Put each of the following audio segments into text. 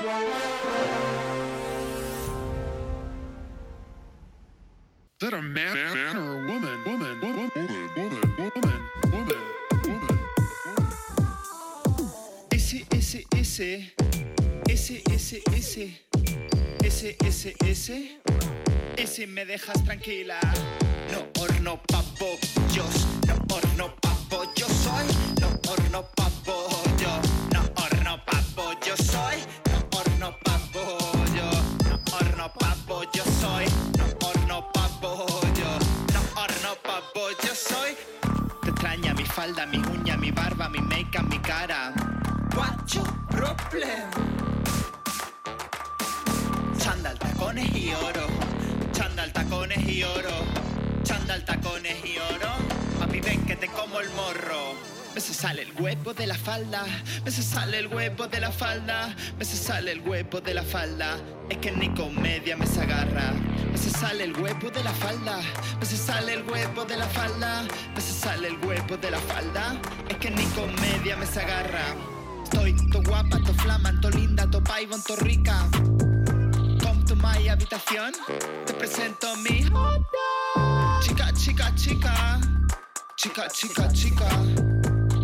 That a man or a woman. Ese me dejas tranquila. No horno pa' pollos, no horno pa' pollo soy, no horno pa' pollo, no horno pa' pollo soy, no horno pa' pollo, no horno pa' pollo soy, no horno pa' pollo, no horno pa' pollo soy. Te extraña mi falda, mi uña, mi barba, mi make-up, mi cara. What's your problem? Chándal, tacones y oro. Chándal, tacones y oro. Chándal, tacones y oro. Papi, ven que te como el morro. Me se sale el huevo de la falda. Me se sale el huevo de la falda. Me se sale el huevo de la falda. Es que ni comedia me se agarra. Me se sale el huevo de la falda. Me se sale el huevo de la falda. Me se sale el huevo de la falda. Es que ni comedia me se agarra. Estoy to guapa, to flaman, to linda, to paivon, to rica. Come to my habitación. Te presento a mi chica, chica, chica. Chica, chica, chica.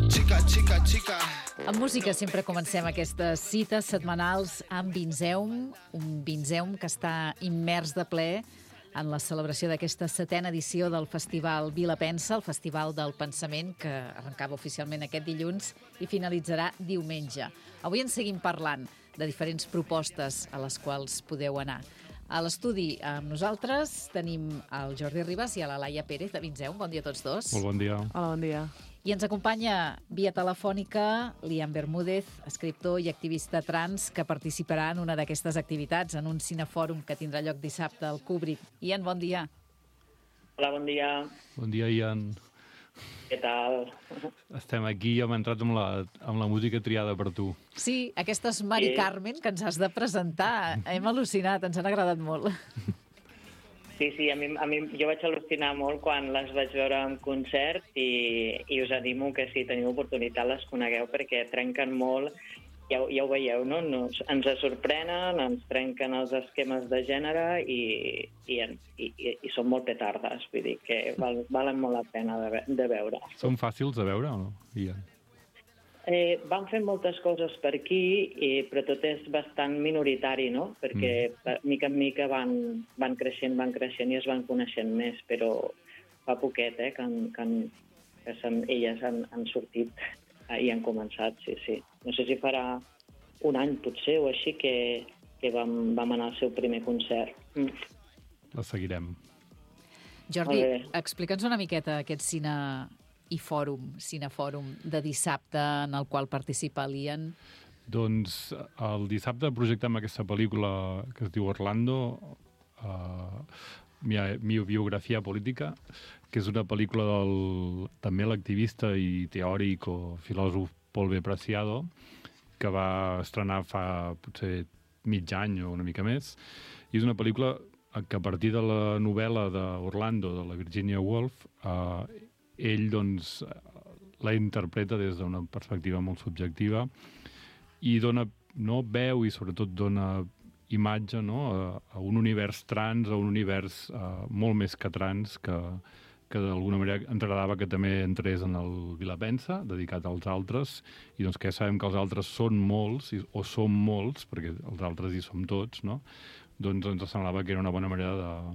Chica, chica, chica. En música sempre comencem aquestes cites setmanals amb Vinzeum, un Vinzeum que està immers de ple en la celebració d'aquesta 7a edició del Festival Vila Pensa, el Festival del Pensament, que arrencava oficialment aquest dilluns i finalitzarà diumenge. Avui en seguim parlant de diferents propostes a les quals podeu anar. A l'estudi amb nosaltres tenim el Jordi Ribas i a la Laia Pérez de Vinzeum. Bon dia a tots dos. Molt bon dia. Hola, bon dia. I ens acompanya via telefònica Lian Bermúdez, escriptor i activista trans, que participarà en una d'aquestes activitats, en un cinefòrum que tindrà lloc dissabte al Kubrick. Ian, bon dia. Hola, bon dia. Bon dia, Ian. Què tal? Estem aquí i hem entrat amb la música triada per tu. Sí, aquesta és Mari Carmen, que ens has de presentar. Hem al·lucinat, ens han agradat molt. Sí, a mi jo vaig al·lucinar molt quan les vaig veure en concert i us animo que si teniu oportunitat les conegueu perquè trenquen molt, ja ho veieu, no? Ens sorprenen, ens trenquen els esquemes de gènere i són molt petardes, vull dir que valen molt la pena de veure. Són fàcils de veure o no, Ian? Van fer moltes coses per aquí, però tot és bastant minoritari, no? Perquè mica en mica van creixent i es van coneixent més, però fa poquet que elles han sortit i han començat, sí. No sé si farà un any, potser, o així, que vam anar al seu primer concert. La seguirem. Jordi, explica'ns una miqueta aquest cinefòrum de dissabte en el qual participa l'Ian. Doncs el dissabte projectem aquesta pel·lícula que es diu Orlando, mi biografia política, que és una pel·lícula del també l'activista i teòric o filòsof Paul B. Preciado, que va estrenar fa potser mig any o una mica més. I és una pel·lícula que a partir de la novel·la d'Orlando, de la Virginia Woolf, ell doncs, la interpreta des d'una perspectiva molt subjectiva i dona veu i sobretot dona imatge a un univers trans, a un univers molt més que trans, que d'alguna manera ens agradava que també entrés en el Vila Pensa, dedicat als altres, i doncs que ja sabem que els altres són molts, o som molts, perquè els altres hi som tots, no? Doncs ens semblava que era una bona manera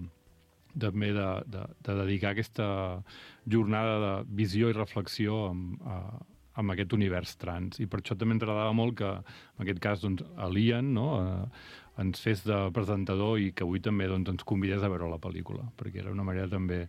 també de dedicar aquesta jornada de visió i reflexió amb aquest univers trans. I per això també ens agradava molt que, en aquest cas, doncs, l'Ian ens fes de presentador i que avui també ens convidés a veure la pel·lícula, perquè era una manera també...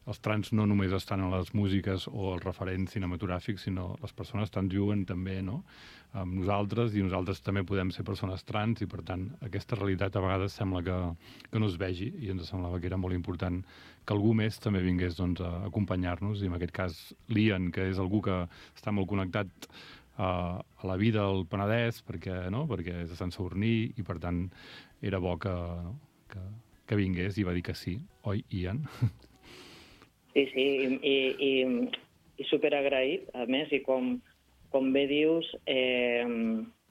Els trans no només estan a les músiques o els referents cinematogràfics, sinó les persones trans viuen també amb nosaltres i nosaltres també podem ser persones trans i, per tant, aquesta realitat a vegades sembla que no es vegi i ens semblava que era molt important que algú més també vingués a acompanyar-nos i, en aquest cas, l'Ian, que és algú que està molt connectat a la vida del Penedès perquè és de Sant Sadurní i, per tant, era bo que vingués i va dir que sí. Oi, Ian? Sí, i superagraït, a més, i com bé dius,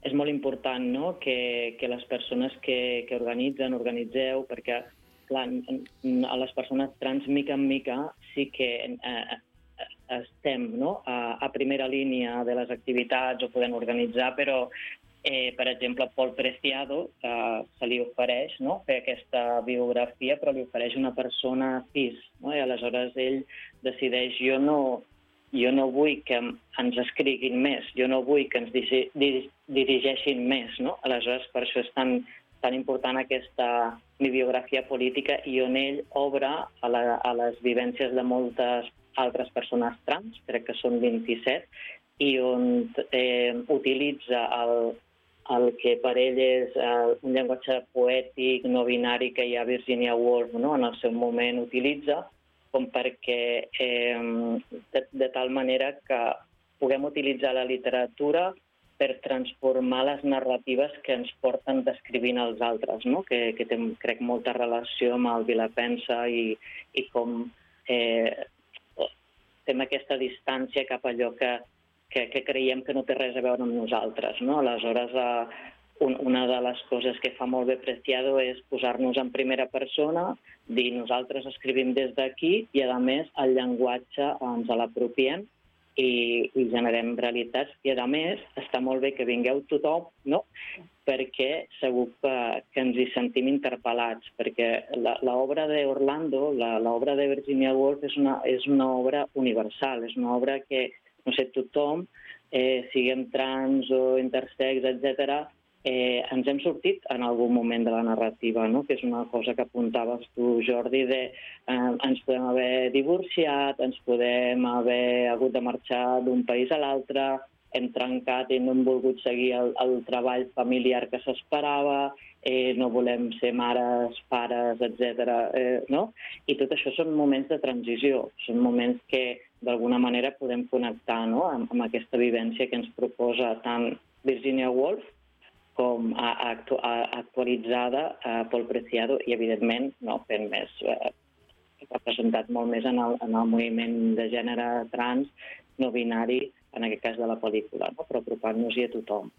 és molt important, no?, que les persones que organitzeu, perquè clar, a les persones trans, mica en mica, sí que estem, no?, a primera línia de les activitats o podem organitzar, però per exemple, Pol Preciado se li ofereix, no?, fer aquesta biografia, però li ofereix una persona cis, no?, i aleshores ell decideix jo no vull que ens escriguin més, jo no vull que ens dirigeixin més, no? Aleshores, per això és tan important aquesta mi biografia política i on ell obre a les vivències de moltes altres persones trans, crec que són 27, i on utilitza el que per ell és un llenguatge poètic, no binari, que ja Virginia Woolf, no?, en el seu moment utilitza, com perquè de tal manera que puguem utilitzar la literatura per transformar les narratives que ens porten descrivint els altres, no?, que té, crec, molta relació amb el Vilapensa i com fem aquesta distància cap a allò que creiem que no té res a veure amb nosaltres, no? Aleshores, una de les coses que fa molt bé Preciado és posar-nos en primera persona, dir nosaltres escrivim des d'aquí i, a més, el llenguatge ens l'apropiem i generem realitats. I, a més, està molt bé que vingueu tothom, no?, perquè segur que ens hi sentim interpel·lats, perquè l'obra d'Orlando, l'obra de Virginia Woolf, és una obra universal, és una obra que, no sé, tothom, siguem trans o intersex, etc., ens hem sortit en algun moment de la narrativa, no?, que és una cosa que apuntaves tu, Jordi, ens podem haver divorciat, ens podem haver hagut de marxar d'un país a l'altre, hem trencat i no hem volgut seguir el treball familiar que s'esperava, no volem ser mares, pares, etc., no? I tot això són moments de transició, són moments que d'alguna manera podem connectar, no?, amb aquesta vivència que ens proposa tant Virginia Woolf com actualitzada Pol Preciado i, evidentment, no, fent més, representat molt més en el moviment de gènere trans, no binari, en aquest cas de la pel·lícula, no?, però apropant-nos-hi a tothom.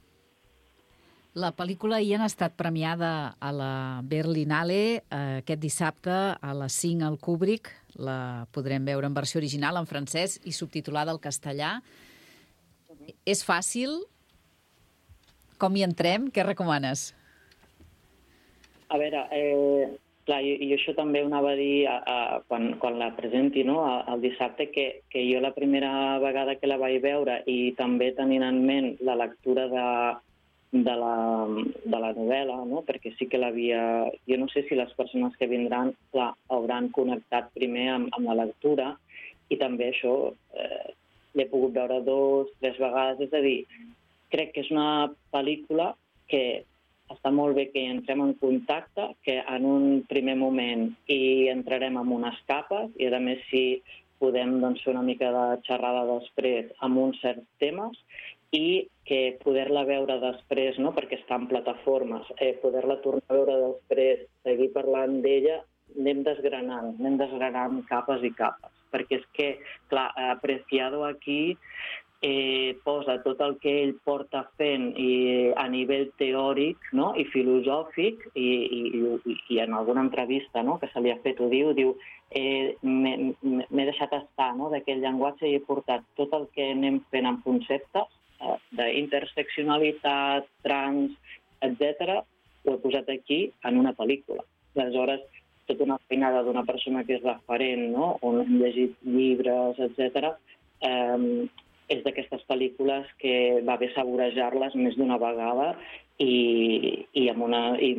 La pel·lícula hi ha estat premiada a la Berlinale aquest dissabte a les 5 al Kubrick. La podrem veure en versió original, en francès, i subtitulada al castellà. És fàcil? Com hi entrem? Què recomanes? A veure, clar, i això també ho anava a dir quan la presenti, no?, el dissabte, que jo la primera vegada que la vaig veure i també tenint en ment la lectura de la novel·la, no?, perquè sí que l'havia... Jo no sé si les persones que vindran, clar, hauran connectat primer amb la lectura i també això l'he pogut veure 2, 3 vegades, és a dir, crec que és una pel·lícula que està molt bé que hi entrem en contacte, que en un primer moment hi entrarem amb unes capes i, a més, si podem fer una mica de xerrada després amb uns certs temes i que poder-la veure després, no?, perquè està en plataformes, poder-la tornar a veure després, seguir parlant d'ella, anem desgranant capes i capes. Perquè és que, clar, Preciado aquí posa tot el que ell porta fent a nivell teòric, no?, i filosòfic, i en alguna entrevista, no?, que se li ha fet, ho diu m'he deixat estar, no?, d'aquest llenguatge i he portat tot el que anem fent en conceptes d'interseccionalitat, trans, etc., ho he posat aquí en una pel·lícula. Aleshores, tota una feinada d'una persona que és referent, no?, on hem llegit llibres, etc., és d'aquestes pel·lícules que va bé saborejar-les més d'una vegada i amb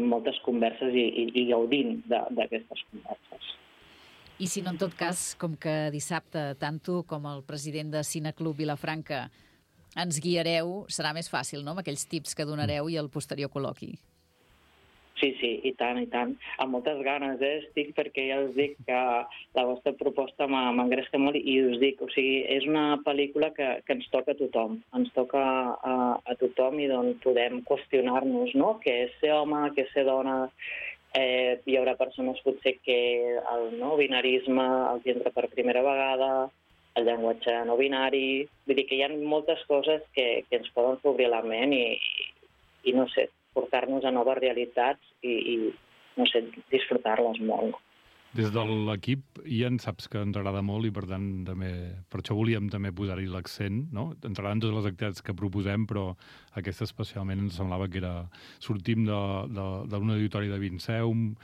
moltes converses i gaudint d'aquestes converses. I si no, en tot cas, com que dissabte tant tu com el president de Cineclub Vilafranca ens guiareu, serà més fàcil, no?, amb aquells tips que donareu i el posterior col·loqui. Sí, i tant, i tant. Amb moltes ganes, estic, perquè ja us dic que la vostra proposta m'engresca molt i us dic, o sigui, és una pel·lícula que ens toca a tothom. Ens toca a tothom i d'on podem qüestionar-nos, no?, què és ser home, què és ser dona. Hi haurà persones potser que el no binarisme els entra per primera vegada, el llenguatge no binari... Vull dir que hi ha moltes coses que ens poden obrir la ment no sé, portar-nos a noves realitats i no sé, disfrutar-les molt. Des de l'equip, Ian, saps que ens agrada molt i per tant també, per això volíem també posar-hi l'accent, no? Ens agraden totes les activitats que proposem, però aquesta especialment ens semblava que era... Sortim d'un auditori de Vinceum,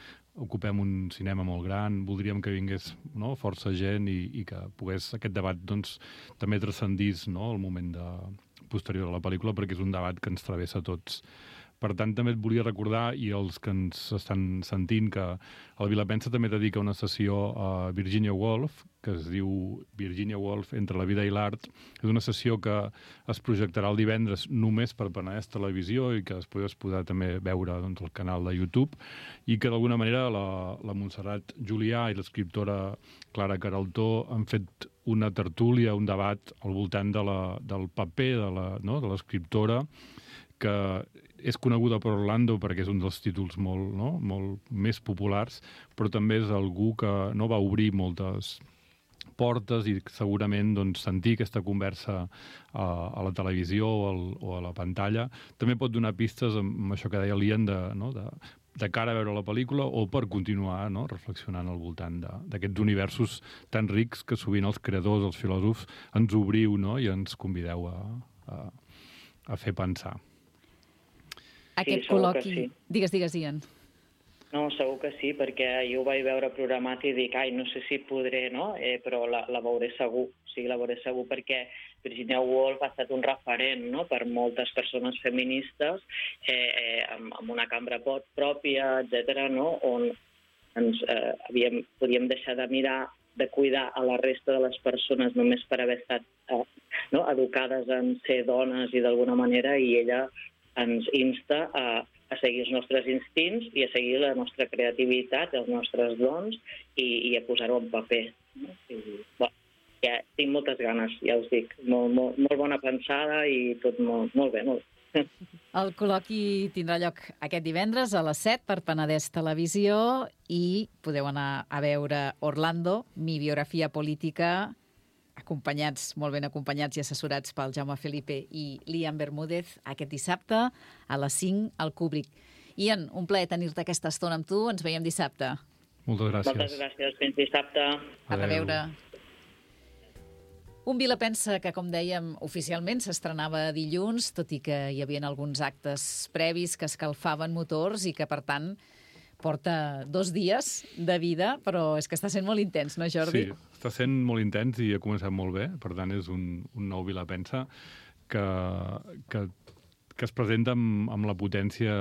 ocupem un cinema molt gran, voldríem que vingués, no, força gent i que pogués aquest debat doncs, també transcendís, no, el moment posterior a la pel·lícula, perquè és un debat que ens travessa a tots. Per tant, també et volia recordar, i els que ens estan sentint, que el Vilapensa també dedica una sessió a Virginia Woolf, que es diu Virginia Woolf entre la vida i l'art. És una sessió que es projectarà el divendres només per Penedès Televisió i que després es podrà també veure doncs, al canal de YouTube, i que d'alguna manera la Montserrat Julià i l'escriptora Clara Queraltó han fet una tertúlia, un debat al voltant del paper de l'escriptora, que és coneguda per Orlando perquè és un dels títols molt més populars, però també és algú que no va obrir moltes portes i segurament doncs, sentir aquesta conversa a la televisió o a la pantalla també pot donar pistes amb això que deia l'Ian de cara a veure la pel·lícula o per continuar reflexionant al voltant d'aquests universos tan rics que sovint els creadors, els filòsofs, ens obriu i ens convideu a fer pensar. Aquest segur col·loqui... que sí. Digues, Ian. No, segur que sí, perquè jo ho vaig veure programat i dic, no sé si podré, no? Però la veuré segur, la veuré segur perquè Virginia Woolf ha estat un referent, no?, per moltes persones feministes amb una cambra pròpia, etc., no?, on ens podíem deixar de mirar, de cuidar a la resta de les persones només per haver estat educades en ser dones i d'alguna manera, i ella ens insta a seguir els nostres instints i a seguir la nostra creativitat, els nostres dons i a posar-ho en paper. Tinc moltes ganes, ja us dic. Molt bona pensada i tot molt bé, molt bé. El col·loqui tindrà lloc aquest divendres a les 7 per Penedès Televisió i podeu anar a veure Orlando, mi biografia política, molt ben acompanyats i assessorats pel Jaume Felipe i l'Ian Bermúdez aquest dissabte a les 5 al Kubrick. Ian, un plaer tenir-te aquesta estona amb tu. Ens veiem dissabte. Moltes gràcies. Moltes gràcies. Fins dissabte. A reveure. Un Vilapensa que, com dèiem, oficialment s'estrenava dilluns, tot i que hi havia alguns actes previs que escalfaven motors i que, per tant, porta 2 dies de vida, però és que està sent molt intens, no, Jordi? Sí, està sent molt intens i ha començat molt bé. Per tant, és un nou Vilapensa que es presenta amb la potència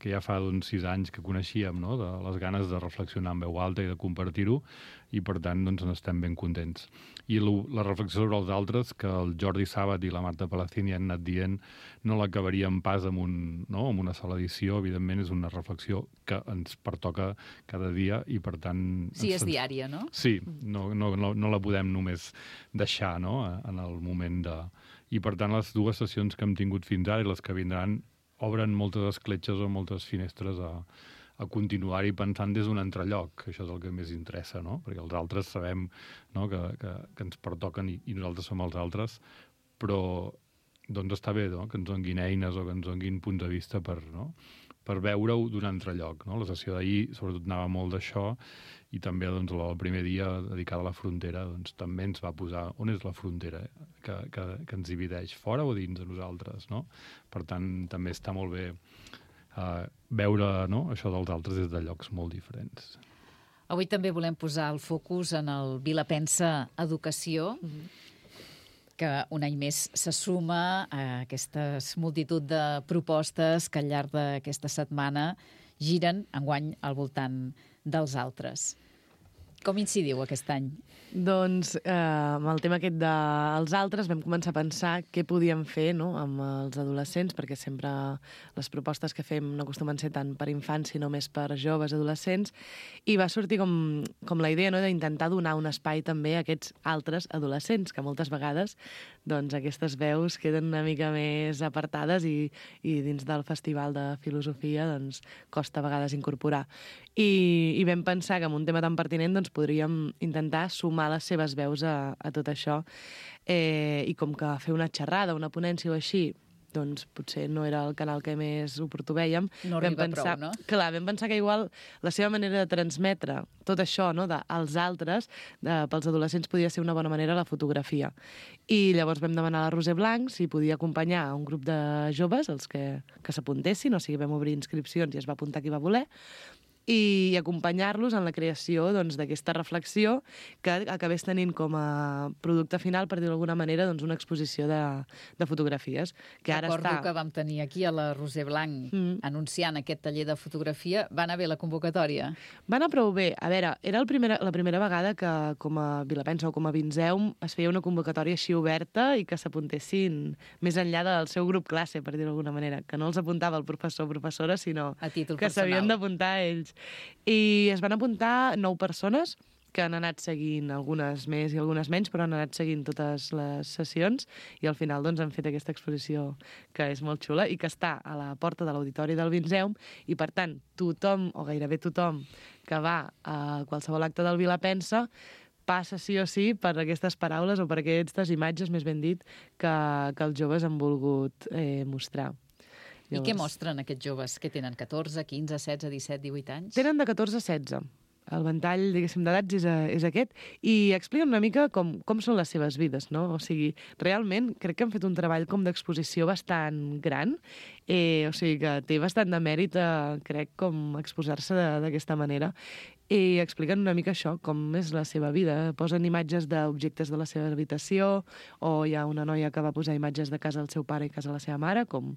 que ja fa 6 anys que coneixíem, no?, de les ganes de reflexionar en veu alta i de compartir-ho, i per tant doncs, n'estem ben contents. I la reflexió sobre els altres, que el Jordi Sàbat i la Marta Palacini han anat dient, no l'acabaríem pas amb una sola edició. Evidentment és una reflexió que ens pertoca cada dia i per tant... Sí, és diària, no? Sí, no la podem només deixar, no?, en el moment de... I, per tant, les 2 sessions que hem tingut fins ara i les que vindran obren moltes escletxes o moltes finestres a continuar-hi pensant des d'un altre lloc. Això és el que més interessa, no? Perquè els altres sabem, no?, que ens pertoquen i nosaltres som els altres, però doncs està bé, no?, que ens donguin eines o que ens donguin punts de vista per veure-ho d'un altre lloc, no? La sessió d'ahir sobretot anava molt d'això i també doncs, el primer dia dedicat a la frontera doncs, també ens va posar on és la frontera que ens divideix, fora o dins de nosaltres, no? Per tant, també està molt bé veure, no?, això dels altres des de llocs molt diferents. Avui també volem posar el focus en el Vilapensa Educació, que un any més se suma a aquesta multitud de propostes que al llarg d'aquesta setmana giren enguany al voltant dels altres. Com incidiu aquest any? Doncs amb el tema aquest dels altres vam començar a pensar què podíem fer, no?, amb els adolescents, perquè sempre les propostes que fem no acostumen a ser tant per infants sinó més per joves adolescents, i va sortir com la idea, no?, d'intentar donar un espai també a aquests altres adolescents, que moltes vegades doncs, aquestes veus queden una mica més apartades i dins del Festival de Filosofia doncs, costa a vegades incorporar. I vam pensar que amb un tema tan pertinent doncs, podríem intentar sumar les seves veus a tot això, i com que fer una xerrada, una ponència o així doncs potser no era el canal que més oportú vèiem. No arriba prou, no? Clar, vam pensar que igual la seva manera de transmetre tot això, no?, als altres, pels adolescents podia ser una bona manera la fotografia. I llavors vam demanar a la Roser Blanc si podia acompanyar un grup de joves, els que s'apuntessin, o sigui, vam obrir inscripcions i es va apuntar qui va voler, i acompanyar-los en la creació doncs, d'aquesta reflexió que acabés tenint com a producte final, per dir d'alguna manera, doncs, una exposició de fotografies. Que ara Recordo està... que vam tenir aquí a la Roser Blanc anunciant aquest taller de fotografia. Va anar bé la convocatòria? Va anar prou bé. A veure, era la primera vegada que com a Vilapensa o com a Vinzeum es feia una convocatòria així oberta i que s'apuntessin més enllà del seu grup classe, per dir d'alguna manera, que no els apuntava el professor o professora, sinó A títol que s'havien personal. d'apuntar ells. I es van apuntar 9 persones que han anat seguint, algunes més i algunes menys, però han anat seguint totes les sessions i al final doncs, han fet aquesta exposició que és molt xula i que està a la porta de l'Auditori del Vinzeum i, per tant, tothom, o gairebé tothom, que va a qualsevol acte del Vilapensa passa sí o sí per aquestes paraules o per aquestes imatges, més ben dit, que els joves han volgut mostrar. I què mostren aquests joves? Que tenen 14, 15, 16, 17, 18 anys? Tenen de 14 a 16. El ventall, diguéssim, d'edats és aquest. I expliquen una mica com són les seves vides, no? O sigui, realment crec que han fet un treball com d'exposició bastant gran. O sigui que té bastant de mèrit, crec, com exposar-se d'aquesta manera. I expliquen una mica això, com és la seva vida. Posen imatges d'objectes de la seva habitació, o hi ha una noia que va posar imatges de casa del seu pare i casa de la seva mare, com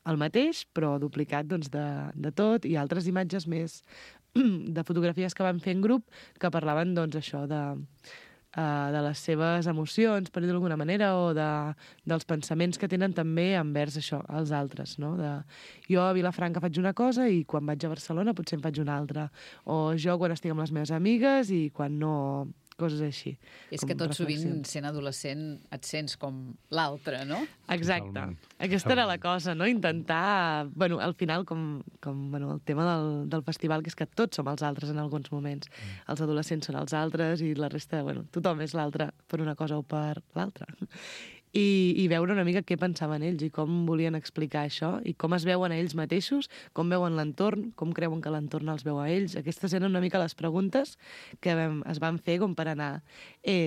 el mateix, però duplicat doncs, de tot, i altres imatges més de fotografies que van fer en grup que parlaven, doncs, això de les seves emocions, per dir d'alguna manera, o dels pensaments que tenen també envers això, els altres, no? Jo a Vilafranca faig una cosa i quan vaig a Barcelona potser en faig una altra. O jo quan estic amb les meves amigues i quan no... coses així. És que tot sovint, sent adolescent, et sents com l'altre, no? Exacte. Totalment. Aquesta era la cosa, no? Intentar... Bueno, al final, com el tema del festival, que és que tots som els altres en alguns moments. Els adolescents són els altres i la resta, bueno, tothom és l'altre per una cosa o per l'altra. I veure una mica què pensaven ells i com volien explicar això i com es veuen a ells mateixos, com veuen l'entorn, com creuen que l'entorn els veu a ells. Aquestes eren una mica les preguntes que es van fer com per anar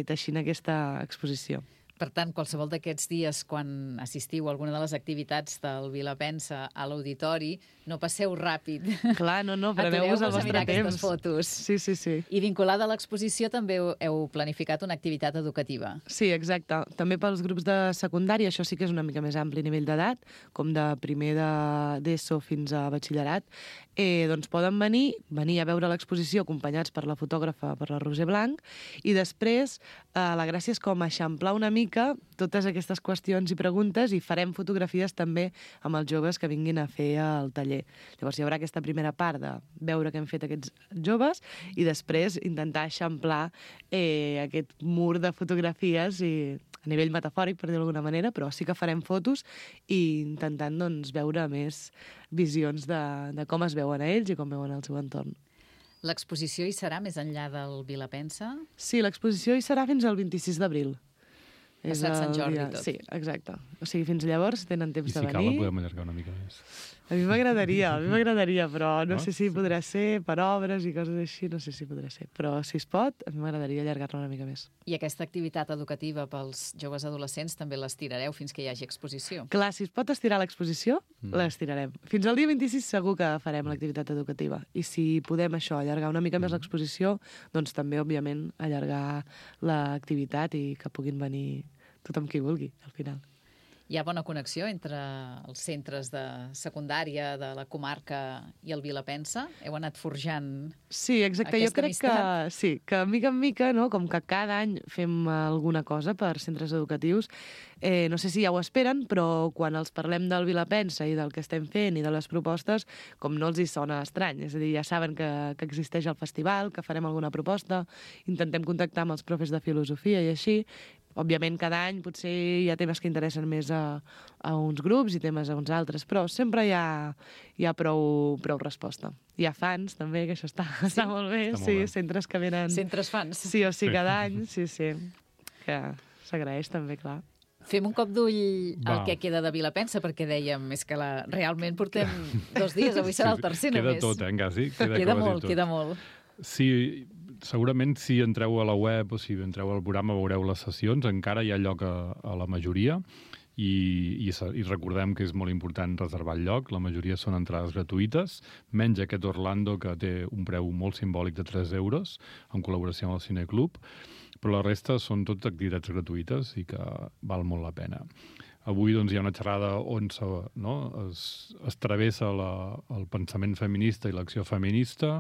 teixint aquesta exposició. Per tant, qualsevol d'aquests dies, quan assistiu a alguna de les activitats del Vilapensa a l'auditori, no passeu ràpid. Clar, no, preneu-vos el vostre temps. Aquestes fotos. Sí. I vinculada a l'exposició també heu planificat una activitat educativa. Sí, exacte. També pels grups de secundària, això sí que és una mica més ampli nivell d'edat, com de primer d'ESO fins a batxillerat, doncs poden venir a veure l'exposició acompanyats per la fotògrafa, per la Roser Blanc, i després la gràcia és com eixamplar una mica totes aquestes qüestions i preguntes i farem fotografies també amb els joves que vinguin a fer el taller. Llavors hi haurà aquesta primera part de veure què han fet aquests joves i després intentar eixamplar aquest mur de fotografies i a nivell metafòric, per dir d'alguna manera, però sí que farem fotos i intentant doncs, veure més visions de com es veuen a ells i com veuen el seu entorn. L'exposició hi serà més enllà del Vilapensa? Sí, l'exposició hi serà fins al 26 d'abril. Passat Sant Jordi i tot. Sí, exacte. O sigui, fins llavors tenen temps de venir. I si cal la podem allargar una mica més. A mi m'agradaria, però no sé si podrà ser per obres i coses així, no sé si podrà ser. Però si es pot, a mi m'agradaria allargar-la una mica més. I aquesta activitat educativa pels joves adolescents també l'estirareu fins que hi hagi exposició? Clar, si es pot estirar l'exposició, l'estirarem. Fins al dia 26 segur que farem l'activitat educativa. I si podem això, allargar una mica més l'exposició, doncs també, òbviament, allargar l'activitat i que puguin venir tothom qui vulgui, al final. Hi ha bona connexió entre els centres de secundària de la comarca i el Vilapensa? Heu anat forjant Sí, exacte. Jo crec que sí, que mica en mica, no, com que cada any fem alguna cosa per centres educatius, no sé si ja ho esperen, però quan els parlem del Vilapensa i del que estem fent i de les propostes, com no els hi sona estrany. És a dir, ja saben que existeix el festival, que farem alguna proposta, intentem contactar amb els profes de filosofia i així. Òbviament, cada any potser hi ha temes que interessen més a uns grups i temes a uns altres, però sempre hi ha prou resposta. Hi ha fans, també, que això està molt bé. Està molt sí, bé. centres que venen... centres fans. Sí o sí, cada any, sí. Que s'agraeix també, clar. Fem un cop d'ull Va. al que queda de Vilapensa, perquè dèiem, és que realment portem 2 dies, avui serà el tercer queda només. tot, Gasi? Queda molt, queda molt. Sí, segurament si entreu a la web o si entreu al programa veureu les sessions, encara hi ha lloc a la majoria i recordem que és molt important reservar el lloc. La majoria són entrades gratuïtes, menys aquest Orlando, que té un preu molt simbòlic de 3 euros, en col·laboració amb el Cineclub, però la resta són totes activitats gratuïtes i que val molt la pena. Avui doncs, hi ha una xerrada on es travessa el pensament feminista i l'acció feminista.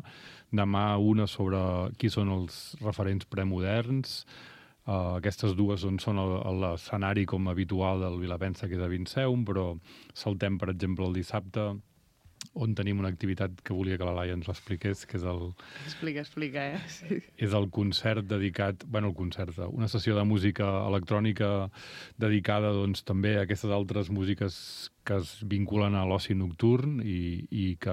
Demà una sobre qui són els referents premoderns. Aquestes dues són l'escenari com habitual del Vilapensa, que és a Vinceum, però saltem, per exemple, el dissabte, on tenim una activitat que volia que la Laia ens l'expliqués, que és Explica, Sí. És el concert dedicat... una sessió de música electrònica dedicada doncs, també a aquestes altres músiques que es vinculen a l'oci nocturn i que,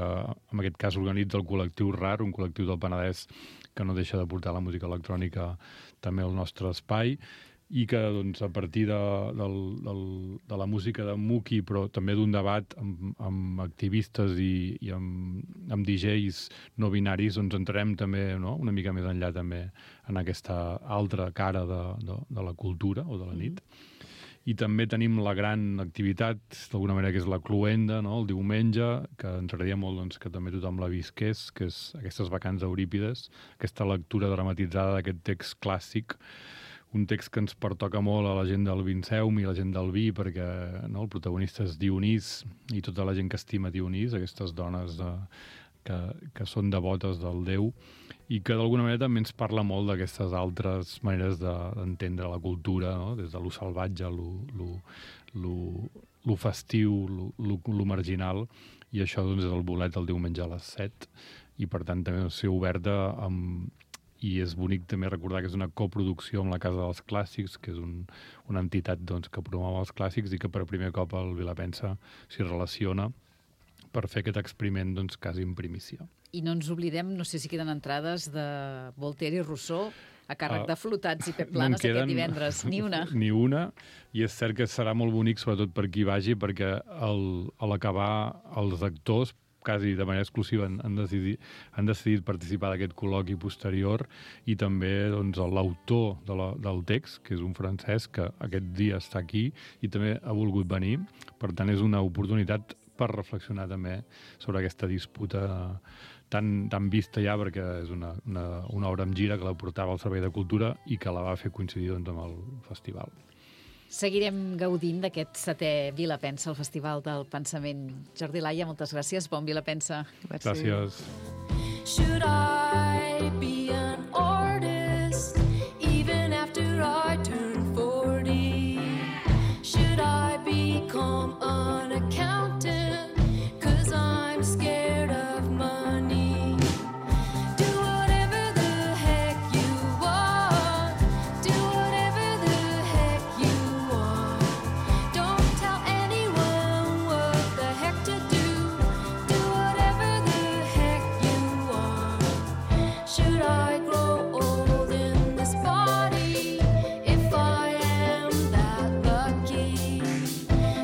en aquest cas, organitza el col·lectiu RAR, un col·lectiu del Penedès que no deixa de portar la música electrònica també al nostre espai, i que doncs, a partir de la música de Muki, però també d'un debat amb activistes i amb DJs no binaris, doncs entrarem també una mica més enllà també en aquesta altra cara de la cultura o de la nit. I també tenim la gran activitat, d'alguna manera, que és la Cluenda, el diumenge, que ens agradaria molt doncs, que també tothom la visqués, que és aquestes vacances d'Eurípides, aquesta lectura dramatitzada d'aquest text clàssic, un text que ens pertoca molt a la gent del Vinceum i a la gent del vi, perquè el protagonista és Dionís i tota la gent que estima Dionís, aquestes dones que són devotes del déu, i que d'alguna manera també ens parla molt d'aquestes altres maneres d'entendre la cultura, des de lo salvatge, lo festiu, lo marginal, i això doncs, és el bolet el diumenge a les 7, i per tant també ser oberta i és bonic també recordar que és una coproducció amb la Casa dels Clàssics, que és una entitat doncs, que promou els clàssics i que per primer cop el Vilapensa s'hi relaciona per fer aquest experiment doncs, quasi en primícia. I no ens oblidem, no sé si queden entrades de Voltaire i Rousseau a càrrec de Flotats i Pep Planes aquest divendres. Ni una. Ni una, i és cert que serà molt bonic, sobretot per qui vagi, perquè a l'acabar els actors quasi de manera exclusiva han decidit participar d'aquest col·loqui posterior, i també doncs, l'autor del text, que és un francès que aquest dia està aquí i també ha volgut venir. Per tant, és una oportunitat per reflexionar també sobre aquesta disputa tan vista ja, perquè és una obra amb gira que la portava al Servei de Cultura i que la va fer coincidir doncs, amb el festival. Seguirem gaudint d'aquest 7è Vilapensa, el Festival del Pensament. Jordi Laia, moltes gràcies. Bon Vilapensa. Gràcies. Should I be an artist even after I turn 40? Should I become an accountant 'cause I'm scared of money? Do whatever the heck you want. Do whatever the heck you want. Don't tell anyone what the heck to do. Do whatever the heck you want. Should I grow old in this body if I am that lucky?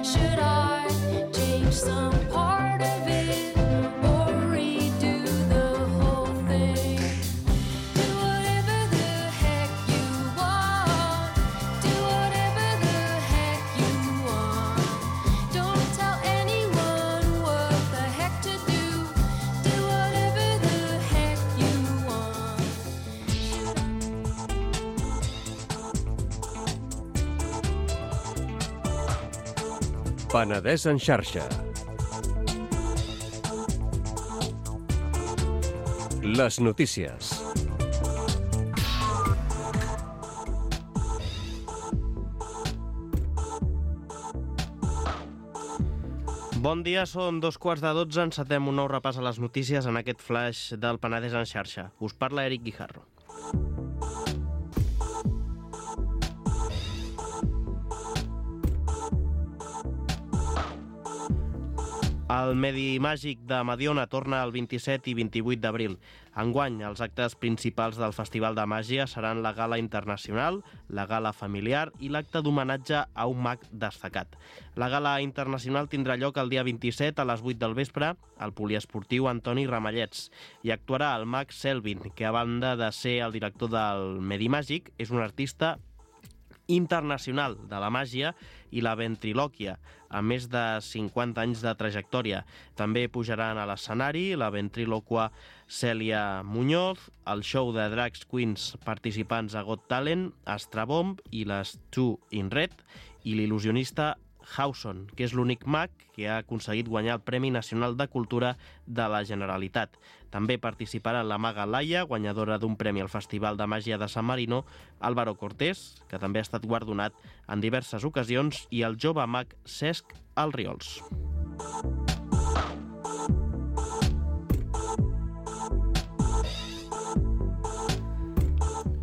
Should I change some part of it or redo the whole thing? Do whatever the heck you want. Do whatever the heck you want. Don't tell anyone what the heck to do. Do whatever the heck you want. Penedès en xarxa. Les notícies. Bon dia, són 2:15. Encetem un nou repàs a les notícies en aquest flash del Penedès en xarxa. Us parla Eric Guijarro. El Medi Màgic de Mediona torna el 27 i 28 d'abril. Enguany, els actes principals del Festival de Màgia seran la gala internacional, la gala familiar i l'acte d'homenatge a un mag destacat. La gala internacional tindrà lloc el dia 27 a les 8 del vespre al poliesportiu Antoni Ramallets i actuarà el mag Selvin, que a banda de ser el director del Medi Màgic, és un artista internacional de la màgia i la ventrilòquia, amb més de 50 anys de trajectòria. També pujaran a l'escenari la ventrilòqua Cèlia Muñoz, el show de Drags Queens participants a Got Talent, Astrabomb i les Two in Red, i l'il·lusionista Hauson, que és l'únic mag que ha aconseguit guanyar el Premi Nacional de Cultura de la Generalitat. També participaran la maga Laia, guanyadora d'un premi al Festival de Màgia de San Marino, Álvaro Cortés, que també ha estat guardonat en diverses ocasions, i el jove mag Cesc Alriols.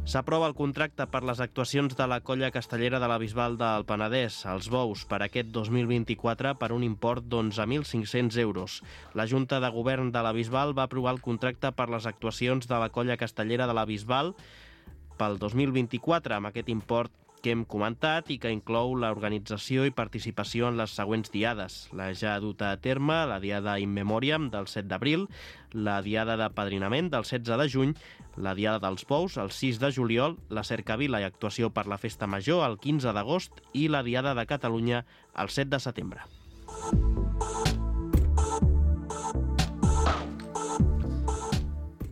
S'aprova el contracte per les actuacions de la colla castellera de la Bisbal del Penedès, els Bous, per aquest 2024 per un import d'11.500 euros. La Junta de Govern de la Bisbal va aprovar el contracte per les actuacions de la colla castellera de la Bisbal pel 2024, amb aquest import que hem comentat i que inclou l'organització i participació en les següents diades. La ja duta a terme, la diada In Memoriam del 7 d'abril, la diada de padrinament del 16 de juny, la diada dels Bous el 6 de juliol, la cercavila i actuació per la Festa Major el 15 d'agost i la diada de Catalunya el 7 de setembre.